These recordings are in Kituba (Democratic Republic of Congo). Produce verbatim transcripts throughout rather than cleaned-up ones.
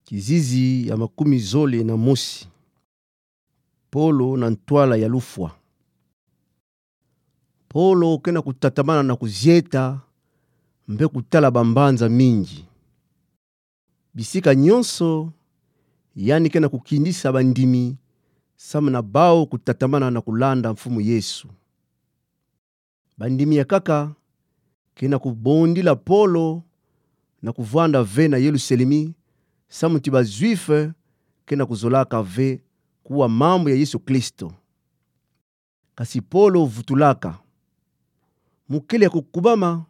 Kizizi ya makumi zole na mosi. Polo na ntwala ya lufwa. Polo ke na kutatamana na kuzieta mpe kutala bambanza mingi. Bisika nyonso, yandi ke na kukindisa bandimi samu na bau kutatamana na kulanda Mfumu Yesu. Bandimi ya nkaka ke na kubondila Polo na kuvwanda ve na Yelusalemi, samu ti ba Juifs ke na kuzolaka ve kuwa mambu ya Yesu Kristo. Kasi Polo vutulaka. Mukele ya kukubama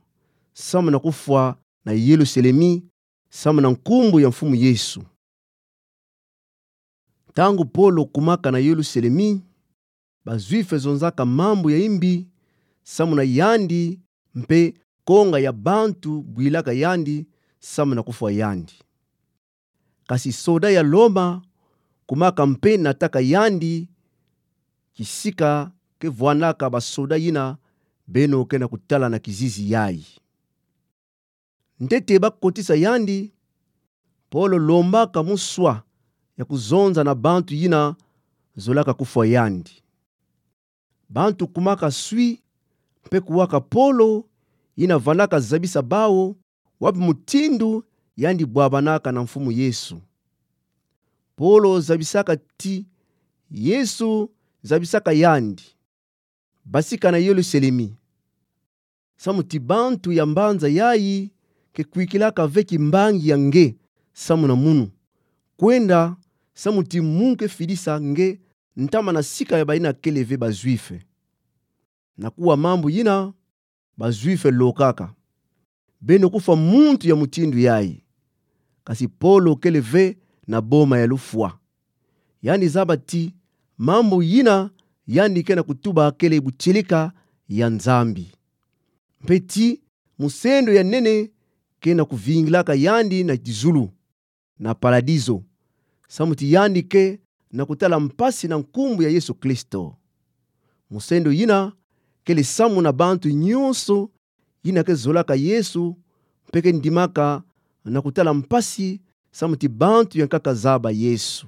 samu na kufwa na Yelusalemi, samu na nkumbu ya Mfumu Yesu. Ntangu Polo kumaka na Yelusalemi, ba Juifs zonzaka mambu ya imbi samu na yandi, mpe konga ya bantu bwilaka yandi samu na kufwa yandi. Kasi soda ya Roma kumaka mpe nataka yandi, kisika ke vwanaka ba soda yina beno ke na kutala na kizizi yayi. Ntete ba kotisa yandi, Polo lombaka muswa ya kuzonza na bantu yina zolaka kufwa yandi. Bantu kumaka swi mpe kuwaka Polo, yina vandaka zabisa bau wapi mutindu yandi bwabanaka na Mfumu Yesu. Polo zabisaka ti Yesu zabisaka yandi. Basika na Yelusalemi, samu ti bantu ya mbanza yayi ke kwikilaka ve kimbangi ya nge samu na munu, kwenda samu ti mu ke fidisa nge ntama na sika ya bayina kele ve ba Juifs. Na kuwa mambu yina, ba Juifs lokaka: Beno kufwa muntu ya mutindu yayi. Kasi Polo kele ve na boma ya lufwa. Yandi zaba ti mambu yina yandi ke na kutuba kele butieleka ya Nzambi, mpe ti musendo ya nene ke na kuvingilaka yandi na kizulu, na paradiso, samu ti yandi ke na kutala mpasi na nkumbu ya Yesu Kristo. Musendo yina kele samu na bantu nyonso yina ke zolaka Yesu, mpe ke ndimaka na kutala mpasi samu ti bantu ya nkaka zaba Yesu.